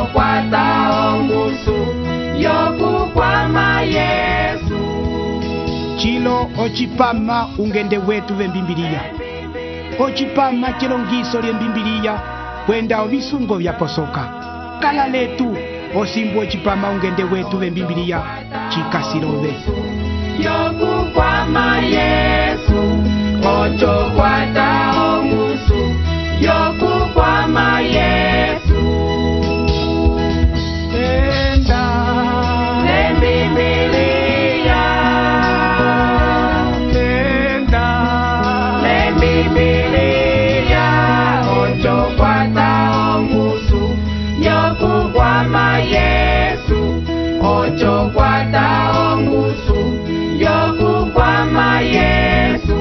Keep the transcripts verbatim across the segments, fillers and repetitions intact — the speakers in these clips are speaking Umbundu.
ocho kwata ongusu yokukwama Yesu. Chilo ochipama ungende wetu vembimbiliya. Ochipama chilongiso lye mbimbiliya kwenda ovisungo vya posoka. Kala letu osimbu ochipama ungende wetu vembimbiliya chikasilove. Yokukwama Yesu, ocho kwata ongusu yokukwama Yesu. Enda lembimbiliya, enda lembimbiliya, ocho kwata ongusu yokukwama Yesu, ocho kwata ongusu yokukwama Yesu.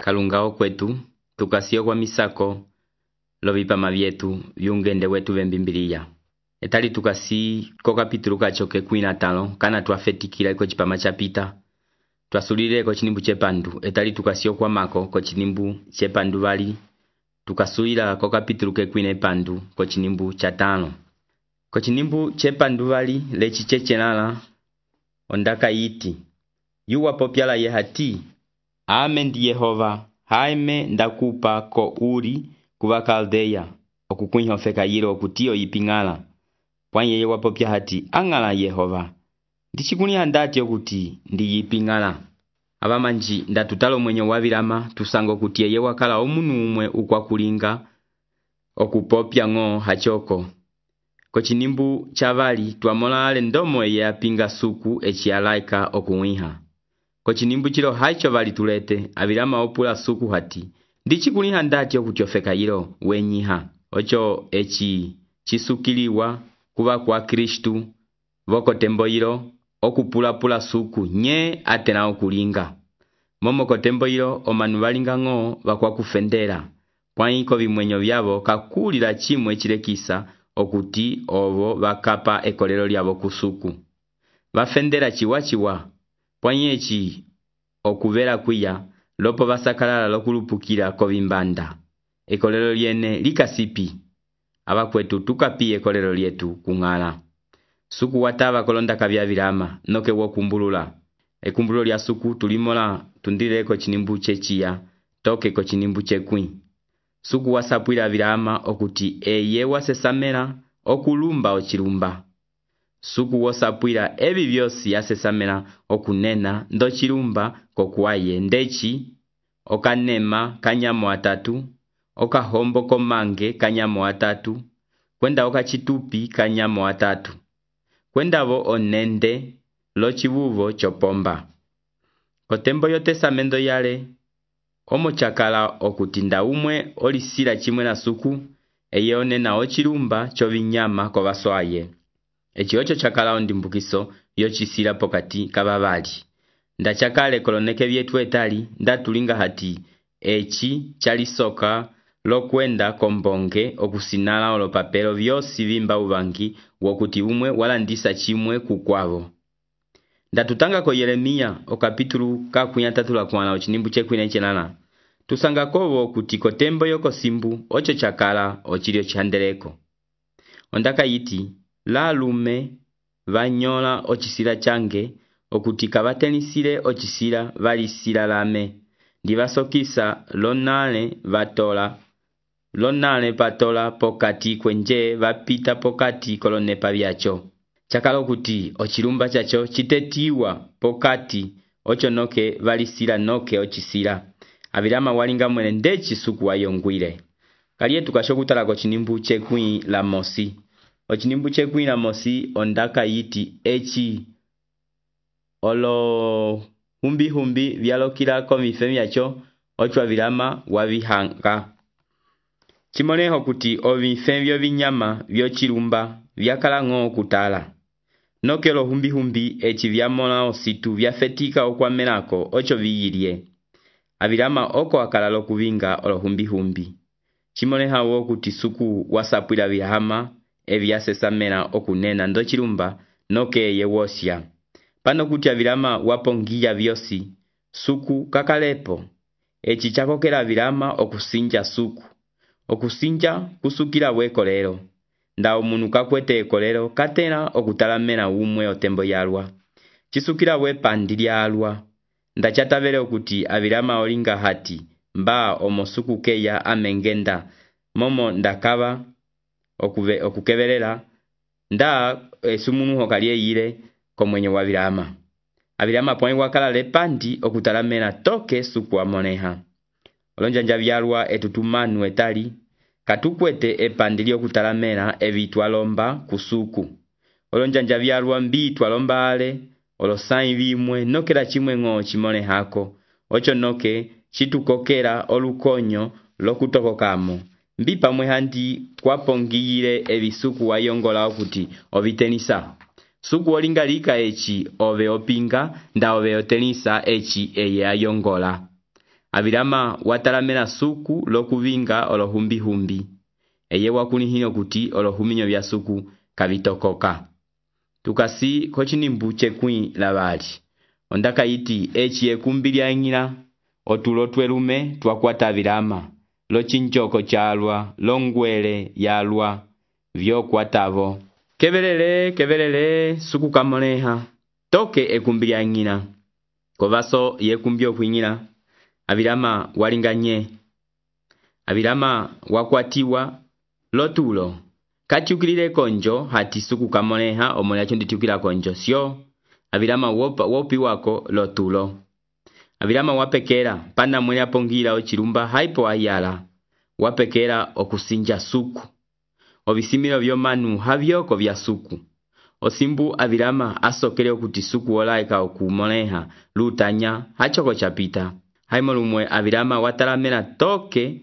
Kalungao kwetu tukasio kwa misako lovipama vyetu vyungende wetu vembimbiliya. Etali tukasi ko kapitulu kachoke kwina tano kana tuafetikila iko chipama chapita. Tuasulile ko chinimbu chepandu. Etali tukasio kwa mako ko chinimbu chepandu vali. Tukasuila ko kapitulu ke kwina pandu ko chinimbu chatano. Ko chinimbu chepandu vali lechi chechenala ondaka iti. Yuwa popyala yehati. Amen di Yehova, haime ndakupa ko uri kuwa kaldeya, okukunyo feka yiro okutio ipingala. Pwanye yewa popya hati, angala Yehova. Ndichikuni handati okuti, ndi ipingala. Abamanji ndatutalo mwenye wavirama, tusango kutie yewa kala omunu umwe ukwa kulinga, okupopya ngo hachoko. Kochinimbu chavali, tuamola ale ndomo ye apinga suku echi alaika okuwiha. Kochinimbu chilo haicho vali tulete, avirama opula suku hati. Ndichi kuliha ndati okutiofeka yilo wenyiha. Ocho echi chisukiliwa kuwa kwa Kristu. Voko tembo yilo okupula pula suku nye atena okulinga. Momo kotembo yilo omanu valinga ngo vakwa kufendera. Pwaiko vimwenyo vyavo kakulila chimwe chilekisa okuti ovo vakapa ekolelo lyavo kusuku. Vafendera chiwa chiwa. Pwanyechi okuvera kuya lopo vasakalala lokulupukila kovimbanda. Ekolelo lyene likasipi. Abakwetu tukapi ekolelo lyetu kungala. Suku watava kolonda kabya virama noke wokumbulula. Ekumbululo lya suku tulimola tundileko chinimbu chechiya toke ko chinimbu chekwi. Suku wasapwila Abilahama okuti eye wasesamela okulumba ochilumba. Suku wasapwila ebi byosi yasesamela okunena ndo chilumba kokuaye ndechi okanema kanyamo atatu, okahombo komange kanyamo atatu, kwenda okachitupi kanyamo atatu, kwendavo onende lo chivuvo chopomba. Kotembo yotesamendo yale omo chakala okutinda umwe olisila chimwe na suku eye onena ochilumba chovinyama kovaswaye. Echi ocho chakala ondimbukiso yochisila pokati kababali. Nda chakale koloneke vyetu etali nda tulinga hati echi chalisoka lokwenda kombonge okusinala olopapelo vyosi vimba uvangi wokuti umwe walandisa chimwe kukwavo. Nda tutanga ko Yeremia okapitulu kakwi atatu la kwana ochinimbu chekwine chenana. Tusanga kovo kuti kotembo yoko simbu ocho chakala ochilio chandeleko. Ondaka yiti la lume vanyola ochisila change okuti kabatenisile ochisila valisila lame. Divasokisa lonale vatola lonale patola pokati kwenje vapita pokati kolonepa vyacho. Chakala okuti ochilumba chacho chitetiwa pokati ocho noke valisila noke ochisila. Abilahama walinga mwene ndechi suku wayongwile. Kaliye tukashokutala ko chinimbu chekwi la mosi. Ochinimbu chekwi la mosi ondaka yiti echi olo humbi humbi vyalokila komife vyacho ocho Abilahama wavihanga. Chimoneho kuti ovife vyo vinyama vyo chilumba vyakala ng'o kutala. Nokelo humbi humbi echi vyamola ositu vyafetika okwamelako ocho viyilie. Abilahama oko akala lokuvinga olo humbi humbi. Chimoneha wo kuti suku wasapwila Abilahama evyasesamela okunena ndo chilumba noke ye wosya. Pano kuti Abilahama wapongia vyosi, suku kakalepo. Echi chakokela Abilahama okusinja suku. Okusinja kusukila wekolero. Nda omunu kakwete ekolero katena okutalamela umwe otembo yalwa. Chisukila we pandilya alwa. Nda chatavele okuti Abilahama olinga hati mba omosuku keya amengenda momo ndakava okuve okukebelela nda esumunu hokalie yile komwenye wa Abilahama. Abilahama poni wakala lepandi okutalamela toke suku amoneha. Olonjanja vyalwa etutumanu etali katukwete epandili okutalamela evitwalomba kusuku. Olonjanja vyalwa mbi twalomba ale olosain vimwe nokela chimwe ng'o chimone hako. Ocho noke chitukokela olukonyo lokutokokamo. Mbi pamwe handi twapongiyile ebisuku wayongola okuti ovitenisa. Suku olinga lika echi ove opinga nda ove otenisa echi eye ayongola. Abilahama watalamela suku lokuvinga olohumbi humbi. Eye wakunihino kuti olohuminyo vya suku kavitokoka. Tukasi kochinimbu chekwi labali. Ondaka yiti echi ekumbilya ingila otulo twelume twakwata Abilahama. Lo chinchoko chalwa, longwele yalwa, vyo kwatavo. Kebelele, kebelele, suku kamoneha. Toke ekumbilya ingila. Kovaso yekumbio kwingila. Abilahama walinganye. Abilahama wakwatiwa lotulo. Katiukilile konjo hati suku kamoneha omona chonditiukila konjo sio. Abilahama wopa wopi wako lotulo. Abilahama wapekera pana mwene apongila ochilumba haipo ayala. Wapekera okusinja suku. Obisimilo vyo manu havyoko vya suku. Osimbu Abilahama asokele okuti suku olaika okumoneha lutanya hachoko chapita. Haimolumwe Abilahama watalamela toke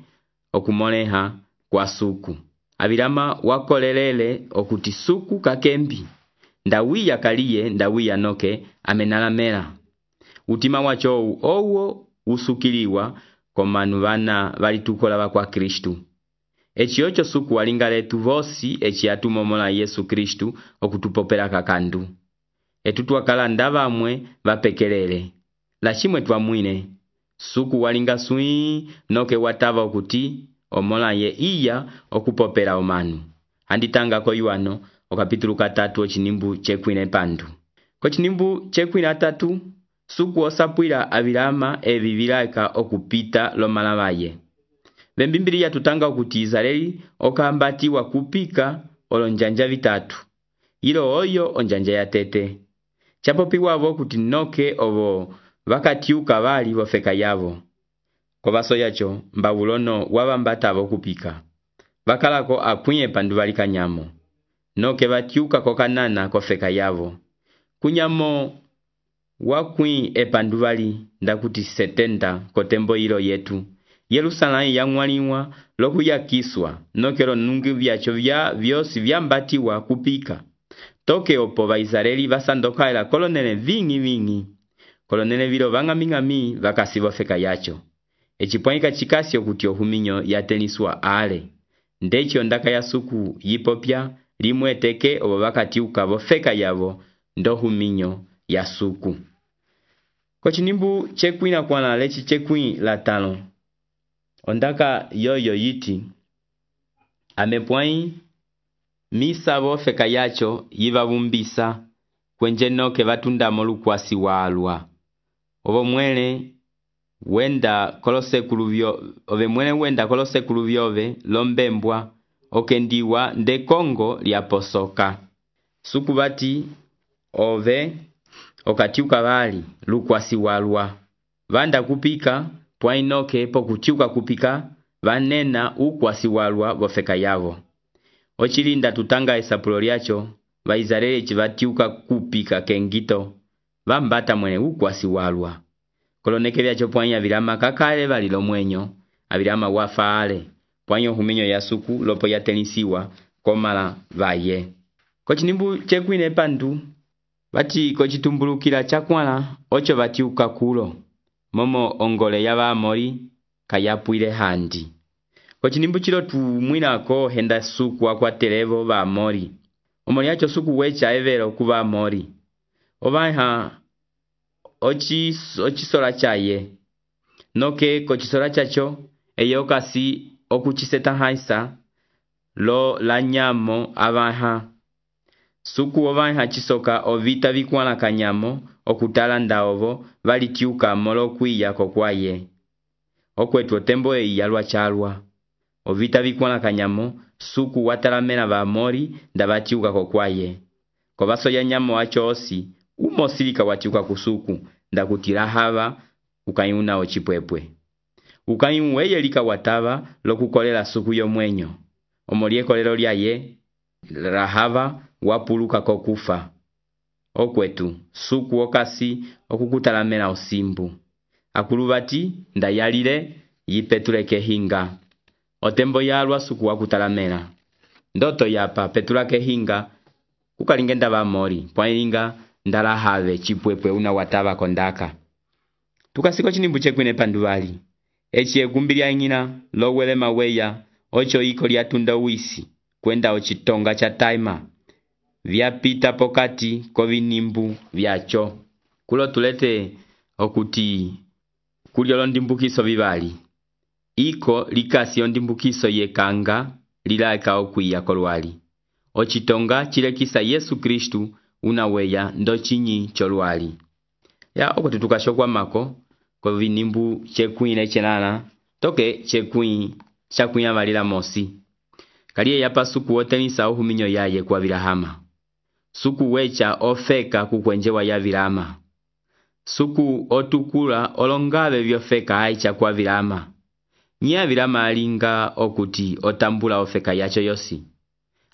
okumoneha kwa suku. Abilahama wakolelele okuti suku kakembi. Ndawiya kaliye ndawiya noke amenalamela. Utima wacho owo usukiliwa komanu vana valitukola vakwa Kristu. Echi ocho suku walinga letu vosi echi atumomola Yesu Kristu okutupopela kakandu. Etutwakala ndavamwe vapekelele. Lachimwe twamwine. Suku walinga sui noke watava okuti omola ye iya okupopela omanu. Handitanga ko Yohano okapitulu katatu ochinimbu chekwine pandu. Kochinimbu chekwine atatu suku osapwila avilama evi vilaika okupita lomalavaye. Vembimbiliya tutanga okuti Israeli okambatiwa kupika olonjanja vitatu. Ilo oyo onjanja ya tete. Chapopiwa avo kuti noke ovo vakatiuka vali vofeka yavo. Kovaso yacho mbavulono wavambata avo kupika. Vakalako akwiye pandu vali kanyamo. Noke vatiuka kokanana kofeka yavo. Kunyamo wakwi epandu vali ndakuti setenta kotembo ilo yetu. Yerusalemu yangwaliwa lokuyakiswa nokelo nungi vyacho vya vyosi vyambatiwa kupika. Toke opo va Israeli vasandokaela kolonele vingi vingi. Kolonele vilo vangami-ngami vakasivo feka yacho. Echipwanika chikasi okuti ohuminyo yateniswa ale. Ndechi ondaka ya suku yipopya limweteke obo vakatiuka vofeka yavo ndo huminyo ya suku. Kochinimbu chekwi na kwana lechi chekwi la tano. Ondaka yoyo yiti. Amepwai misa vofeka yacho yiva vumbisa kwenje noke vatunda molukwasi walwa. Ovo mwele wenda kolose kuluvyo ove mwele wenda kolose kuluvyove lombembwa okendiwa nde Kongo liaposoka. Suku bati ove okatiuka vali lukwasi walwa. Vanda kupika pwainoke po kutiuka kupika vanena ukwasi walwa vofeka yavo. Ochilinda tutanga esapulo lyacho va Israeli chivatiuka kupika kengito vambata mwene ukwasi walwa. Koloneke vyacho pwanya vilama kakale valilo mwenyo avilama wafaale pwanyo huminyo ya suku lopo yatenisiwa komala vaye. Kochinimbu chekwine pandu vati kochitumbulukila chakwala ocho vatiuka kulo momo ongole ya Vaamori kayapuile handi. Kochinimbu chilo tumwinako henda suku wakwatelevo Vaamori. Omoli yacho suku wecha evero ku Vaamori. Ovaiha ochi ochisola chaye. Noke kochisola chacho eyo kasi okuchiseta haisa lo la nyamo avaiha. Suku ovaiha chisoka ovita vikwala kanyamo okutala ndaovo valitiuka molo kuiya kokwaye. Okwetu otembo e yalwa chalwa. Ovita vikwala kanyamo suku watalamena Vaamori ndavatiuka kokwaye. Kovaso ya nyamo wacho osi umosilika watiuka kusuku ndakutila hava ukayuna ochipwepwe. Ukayu weyelika watava lokukolela suku yomwenyo. Omolieko lelo lyaye rahava wapuluka kokufa. Okwetu suku okasi okukutalamena osimbu. Akulubati ndayalile yipetuleke hinga. Otembo yalwa suku wakutalamena. Ndoto yapa petulake hinga kukalingenda Vaamori pwailinga ndalahave chipwepwe una watava kondaka. Tukasiko chinimbu chekwine panduvali. Echi egumbilia ingina lowele maweya ocho iko liatunda uisi kwenda ochitonga cha taima. Vyapita pokati kovinimbu vyacho. Kulo tulete okuti kuliolo ndimbukiso vivali. Iko likasi ondimbukiso yekanga lilaika okuya kolwali. Ochitonga chilekisa Yesu Kristu unaweya ndo chinyi cholwali. Ya okuti tukashokwa mako kovinimbu chekwine chenana toke chekwi chakunya valila mosi. Kaliye yapa suku wotenisa uhuminyo yaye kwa vilahama. Suku wecha ofeka kukwenjewa ya vilama. Suku otukula olongave vyofeka haicha kwa vilama. Nya vilama alinga okuti otambula ofeka yacho yosi.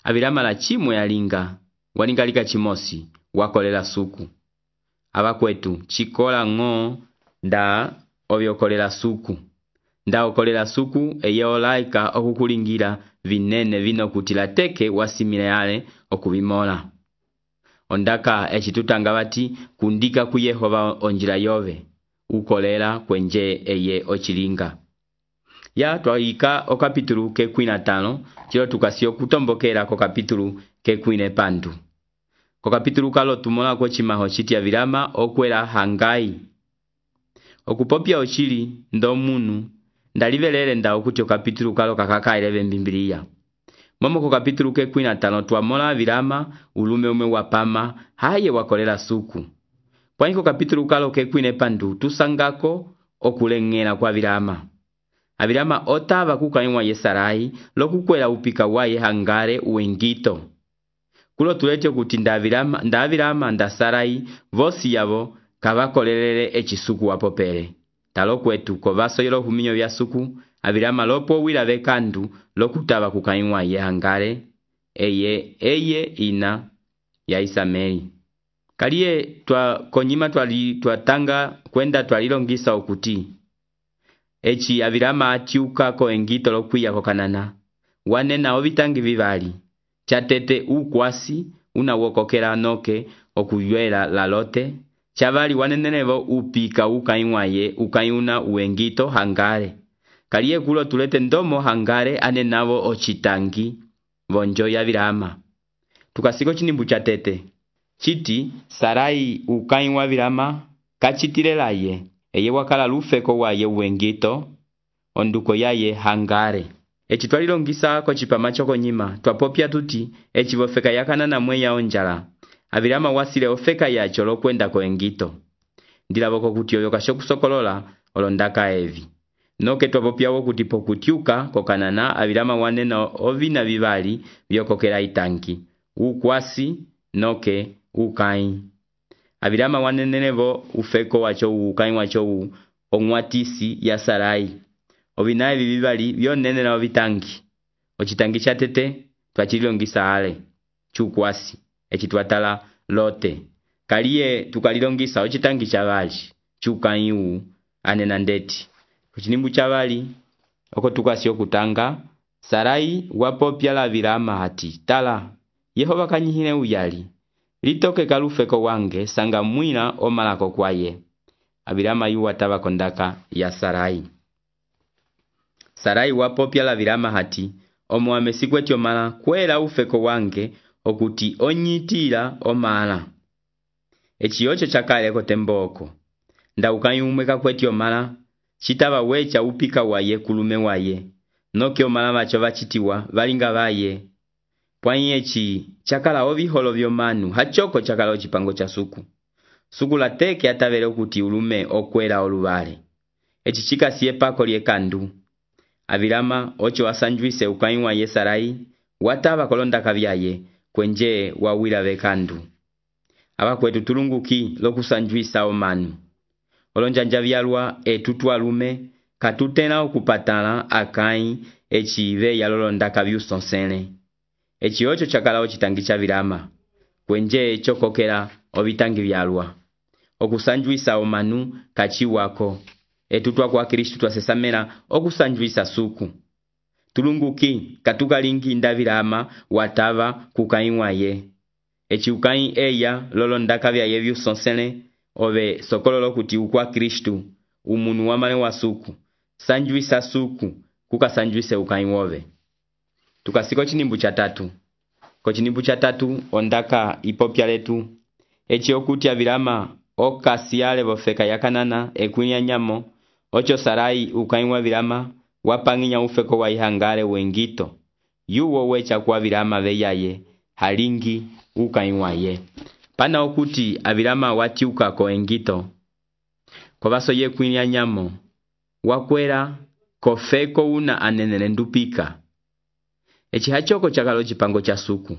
Avilama la chimwe alinga waningalika chimosi wakolela suku. Ava kwetu chikola ngo nda ovyokolela suku. Nda okolela suku eye olaika okukulingira vinene vino kutila teke wasimile yale okuvimola. Ondaka echitutanga vati kundika ku Yehova onjila yove. Ukolela kwenje eye ochilinga. Ya tuwaika o kapitulu ke kwina tano chilo tukasio kutombokera ko kapitulu ke kwine pandu. Ko kapitulu kalo tumola ko chimaho chitia vilama okwela hangai. Okupopia ochili ndo munu ndalivelele nda okuti o kapitulu kalo kakaka eleve mbimbilia. Momo ko kapitulu ke kwina tano tuamola vilama ulume ume wapama haye wakolela suku. Pwaiko kapitulu kalo kekwine pandu tusangako okulengela kwa Abirama. Abirama otava kukaiwa ye Sarai lokukwela upika waye hangare uengito. Kulo tulete kuti nda Abirama, nda Abirama nda Sarai vosi yavo kavakolelele echisuku wapopele. Talo kwetu kovaso yelo huminyo vya suku Abirama lopo wila vekandu lokutava kukaiwa ye hangare eye eye ina ya Isameli. Kaliye twa konyima twali twatanga kwenda twalilongisa okuti echi Abirama atiuka ko engito lokwiya ko Kanana wanena ovitangi vivali chatete ukwasi unawokokela noke okuyela la Lote chavali wanenenevo upika ukaiwaye ukaiuna uengito hangare. Kaliye kulo tulete ndomo hangare anenavo ochitangi vonjo ya Abirama. Tukasiko chinimbu chatete chiti Sarai ukaiwa Abirama kachitilelaye eye wakala lufeko waye uengito onduko yaye hangare. Echi twalilongisa ko chipama choko nyima twapopya tuti echi vofeka yakanana mweya onjala Abirama wasile ofeka yacho lokwenda ko engito ndilavoko kuti oyo kashokusokolola olondaka evi noke twapopyawo kuti pokutiuka ko Kanana Abirama wanena ovina vivali vyokokela itanki ukwasi noke ukai. Abirama wanenenevo ufeko wacho ukai wacho ongwatisi ya Sarai ovinaye vivali vyonene na ovitangi ochitangi chatete twachilongisa ale chukwasi echi twatala Lote. Kaliye tukalilongisa ochitangi chavali chukaiu anena ndeti kuchinimbu chavali oko tukasi okutanga Sarai wapopya la Abirama hati tala Yehova kanyihile uyali litoke kalufeko wange sanga mwina omalako kwaye. Abirama yu watava kondaka ya Sarai. Sarai wapopya la Abirama hati omo amesikweti omala kwela ufeko wange okuti onyitila omala. Echi yocho chakale kotemboko nda ukayumweka kweti omala chitava wecha upika waye kulume waye noke omala vacho vachitiwa valinga vaye. Pwani echi chakala oviholo vyomanu hachoko chakala ochipango cha suku. Suku la teke atavele okuti ulume okwela oluvale. Echi chika siye pako liekandu. Abirama ocho wasanjuise ukaiwa ye Sarai watava kolonda kavyaye kwenje wawila vekandu. Aba kwetu tulunguki lokusanjuisa omanu. Olonjanja vyalwa etutu alume katutena okupatala akai echi ive yalolonda kavyusonsene. Echi ocho chakala ochitangi cha Abirama kwenje chokokela ovitangi vyalwa okusanjuisa omanu kachi wako etutwa kwa Kristu twasesamela okusanjuisa suku. Tulunguki katukalingi nda Abirama watava kukaiwa ye echi ukai eya lolonda kavyaye vyusonsene ove sokololo kuti ukwa Kristu umunu wamale wa suku sanjuisa suku kukasanjuise ukai wove. Tukasiko chinimbu cha tatu. Ko chinimbu cha tatu ondaka ipopya letu. Echi okuti Abirama okasiale vofeka yakanana ekwinya nyamo. Ocho Sarai ukaiwa Abirama wapanginya ufeko wa ihangare uengito. Yuwo wecha kwa Abirama veyaye halingi ukaiwa ye. Pana okuti Abirama watiuka ko engito. Kovaso ye kwinya nyamo. Wakwera kofeko una anenele ndupika. Echi hachoko chakalo chipango cha suku.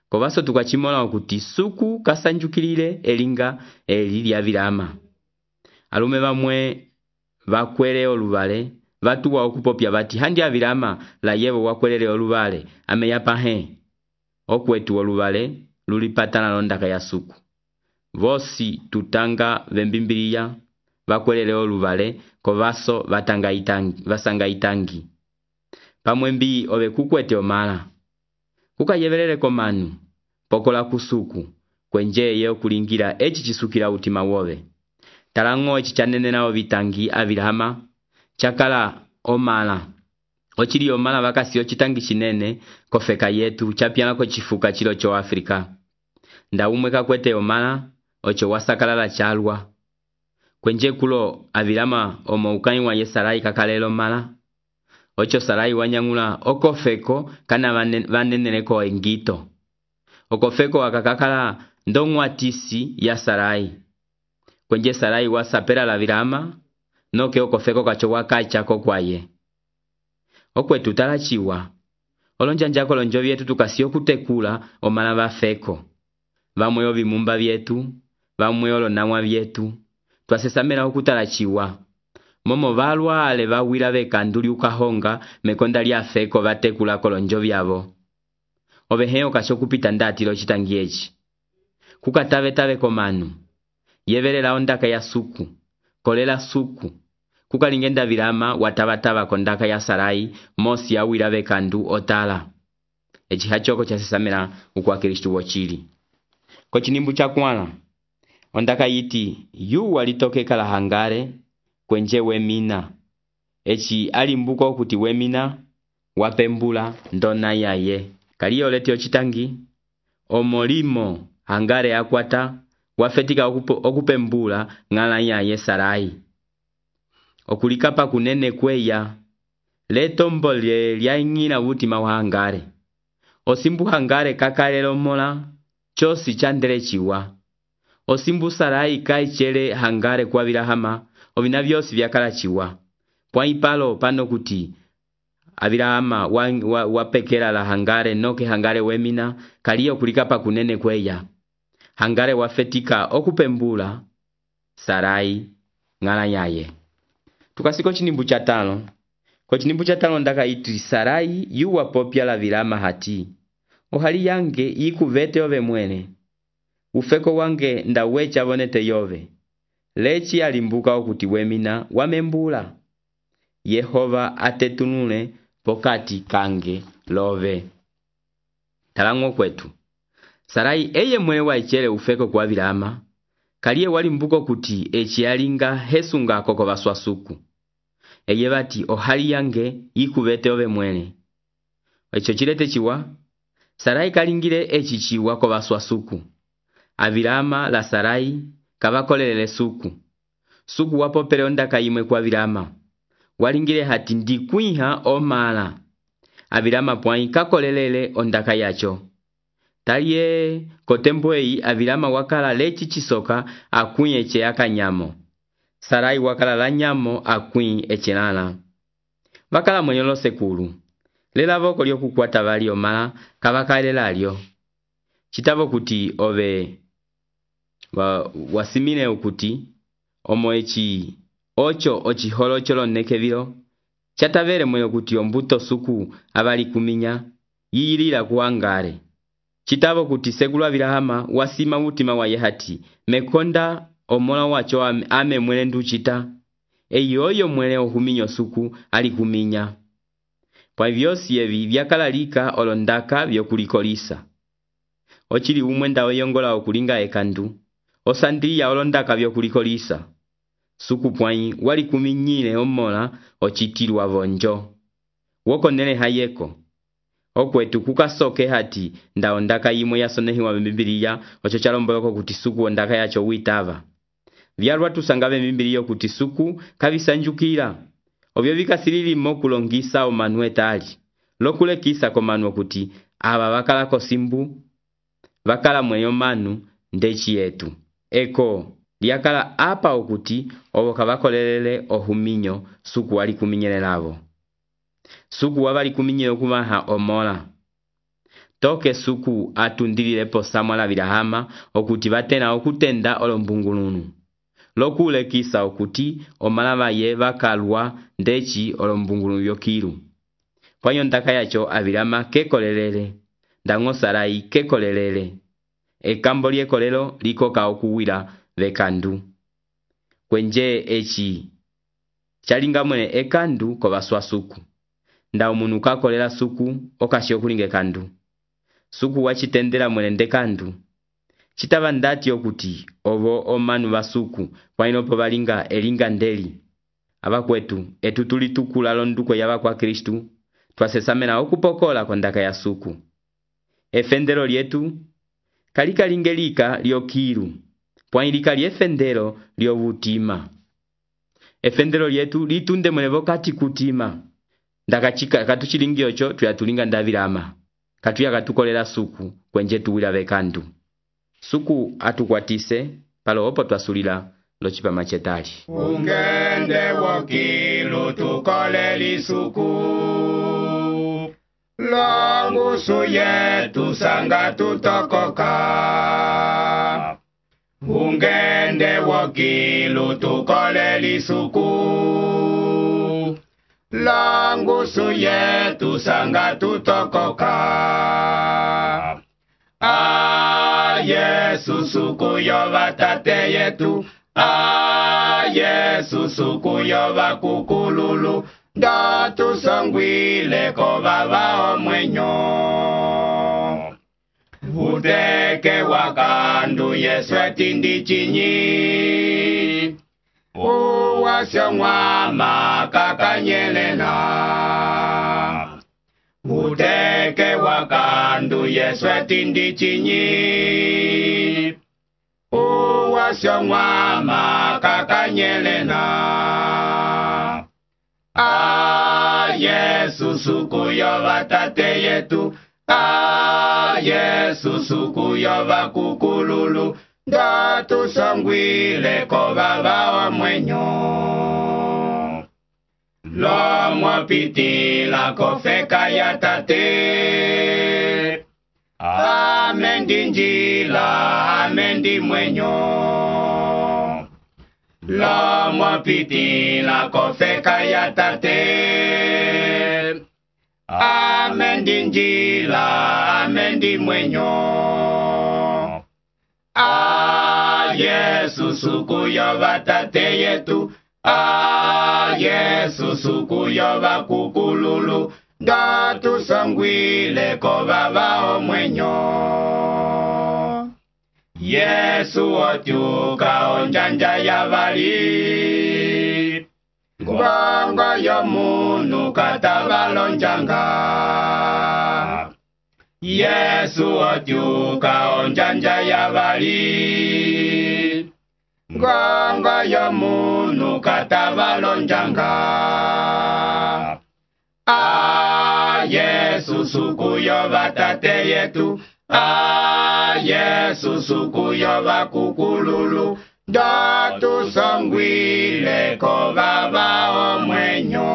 Kovaso tukachimola okuti suku kasanjukilile elinga elili ya Abirama. Alume vamwe vakwele oluvale vatuwa okupopya bati handi Abirama la yevo wakwelele oluvale ameyapa he. Okwetu oluvale lulipatana londaka ya suku. Vosi tutanga vembimbilia vakwelele oluvale kovaso vatanga itangi, vasanga itangi. Pamwembi ove kukwete omala. Kuka yevelele komanu, pokola kusuku, kwenje ye okulingira echi chisukila utima wove. Talango echi chanenena ovitangi Abirama, chakala omala. Ochili omala vakasi ochitangi chinene, kofeka yetu, chapiana ko chifuka chilo cho Afrika. Nda umweka kwete omala, ocho wasakala la chalwa. Kwenje kulo Abirama omo ukaiwa ye Sarai kakalelo mala. Ocho Sarai wanyangula okofeko kana vaneneleko engito. Okofeko wakakakala ndongwatisi ya Sarai. kwenje Sarai wasapela la Abrahama noke okofeko kacho wakacha kokwaye. Okwetu talachiwa olonjanja kolonjo vyetu tukasiyo kutekula omala bafeko. Vamwe ovimumba vyetu, vamwe olonamwa vyetu, twasesamela okutalachiwa. Momo valwa ale vawila bekanduli ukahonga mekonda lyafeko batekula kolonjo vyavo. Oveheo kasho kupita ndatilo chitangiechi. Kukatave tave komanu. Yevelela ondaka ya suku. Kolela suku. Kukalingenda Abrahama watabataba kondaka ya Sarai mosi ya wila bekandu otala. Echi hachoko chasesamela ukwa Kristu wochili. Kochinimbu cha kwana. Ondaka yiti yu walitoke kala hangare kwenje wemina. Echi alimbuko kuti wemina wapembula ndona yaye. Kaliyo leti ochitangi omolimo hangare akwata wafetika okupembula ngala yaye Sarai. Okulikapa kunene kweya letombo lya ingina wutima wa hangare. Osimbu hangare kakalelo mola chosi chandere chiwa. Osimbu Sarai kaichele hangare kwa Abrahama ovina vyosi vyakala chiwa. Pwa ipalo pano kuti Abrahama wapekela la hangare noke hangare wemina kaliyo kulikapa kunene kweya. Hangare wafetika okupembula Sarai ngala yaye. Tukasiko chinimbu cha tano. Kwa chinimbu cha tano ndaka iti Sarai yu wapopya la Abrahama hati. Ohali yange ikuvete ove mwene. Ufeko wange ndawecha vonete yove. Lechi alimbuka okuti wemina wamembula. Yehova atetunule pokati kange love. Talango kwetu. Sarai eye mwe waichele ufeko kwa Abrahama. Kaliye walimbuko kuti echi alinga hesunga koko baswasuku. Eye bati ohali yange ikuvete ove mwene. Echo chilete chiwa. Sarai kalingile echi chiwa ko baswasuku. Abrahama la Sarai kabakolelele suku. Suku wapopele ondaka imwe kwa Abrahama. Walingile hati ndikuiha omala. Abrahama pwai kakolelele ondaka yacho. Taliye kotembwei Abrahama wakala lechi chisoka akuin eche akanyamo. Sarai wakala la nyamo akuin eche nala. Wakala mwenyolo sekulu. Lela voko liyo kukwata vali omala kabakalela liyo. Chitavo kuti ove wa, wasimine ukuti omo echi ocho ochi holo cholo nekevilo. Chatavere mwenye kuti ombuto suku abali kuminya yiyilila kuangare. Chitavo kuti segulu Abrahama wasima utima wa yehati mekonda omola wacho ame mwene nduchita. Eyoyo mwene ohuminyo suku alikuminya. Pwa vyosi yevi vyakalalika olondaka vyokulikolisa. Ochili umwenda oyongola okulinga ekandu. Osandria olondaka vyokulikolisa. Suku pwai wali kuminyile omola ochitilu avonjo. Woko nene hayeko. Okwetu kukasoke hati nda ondaka imwe yasonehi wa Bibiliya ocho chalomboloko kuti suku ondaka yacho witava. Vyalwa tusangave Bibiliya kuti suku kabisanjukira. Obyo bikasilili mokulongisa omanwe tali. Lokule kisa komanu kuti aba bakala kosimbu bakala mwenyo manu ndechi yetu. Eko liakala apa okuti oboka bakolelele ohuminyo suku wali kuminyele lavo. Suku wabali kuminyele okumaha omola. Toke suku atundilile po Samuel Abrahama okuti batena okutenda olombungulunu. Lokule kisa okuti omalava ye bakalwa ndechi olombungulunu yokiru. Pwanyo ndaka yacho Abrahama kekolelele. Ndango Sarai kekolelele. Ekambo liekolelo likoka okuwila vekandu. Kwenje echi chalinga mwene ekandu ko baswasuku. Nda umunu kakolela suku okashi okulinga ekandu. Suku wachitendela mwene ndekandu. Chitava ndati okuti ovo omanu basuku wainopo balinga elinga ndeli. Abakwetu etutuli tukula londuko yaba kwa Kristu twasesamena okupokola kondaka ya suku. Efendero lietu kalika lingelika liokiru. Pwailika liefendero liovutima. Efendero lietu litunde mwene kati kutima. Ndaka chika katuchilingi ocho tuyatulinga ndavirama. Katuya katukolela suku kwenje tuwila vekandu. Suku atukwatise palo opo twasulila locipama cetali. Ungende wokilu tukole lisuku, longusu yetu sanga tutokoka. Ungende wokilu tukole lisuku, longusu yetu sanga tutokoka. Ah, Yesu suku yova tate yetu, ah, Yesu suku yova kukululu, datu songwile ko baba omwenyo. Uteke wakandu Yesu etindi chinyi, uwasyo mwama kakanyelena. Uteke wakandu Yesu etindi chinyi, uwasyo mwama kakanyelena. Ah, Yesu suku yova tate yetu, ah, Yesu suku yova kukululu, datu songwile ko baba omwenyo. Lomo pitila kofeka ya tate, amendi njila, amendi mwenyo. Lomo pitila kofeka ya tate, amendi njila, amendi mwenyo. Ah, Yesu suku yova tate yetu, ah, Yesu suku yova kukululu, datu songwile ko baba omwenyo. Yesu otyuka onjanja ya bali, ngongo yomunu katabalonjanga. Yesu otyuka onjanja ya bali, ngongo yomunu katabalonjanga. Ah, Yesu suku yova tate yetu, ah, Yesu suku yova kukululu, datu songwile ko baba omwenyo.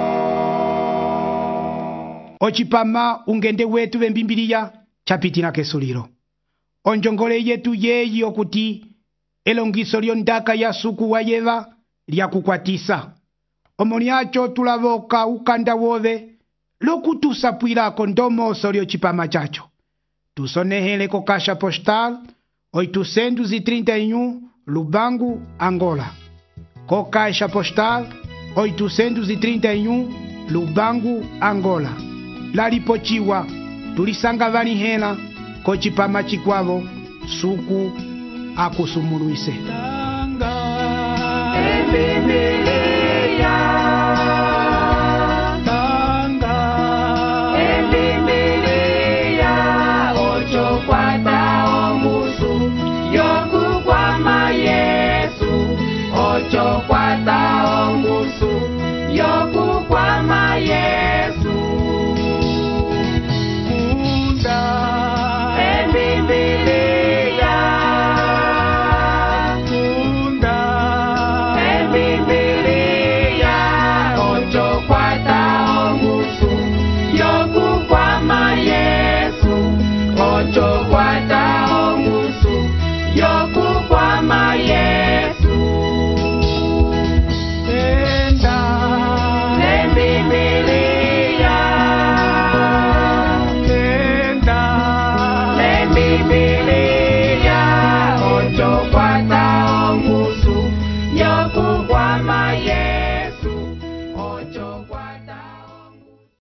Ocipama ungende wetu vembimbiliya chapitina kesulilo. Onjongole yetu yeyi okuti elongiso lyondaka ya suku wa yeva lya kukwatisa. Omoniacho tulavoka ukanda wove lokutusapwilako ndomoso lyocipama chacho. Tusonehele ko Caixa Postal oitocentos e trinta e um Lubango, Angola. Co Caixa Postal oitocentos e trinta e um Lubango, Angola. Lalipochiwa tulisanga vanihela ko cipama chikwavo suku akusumuluise. Tanga,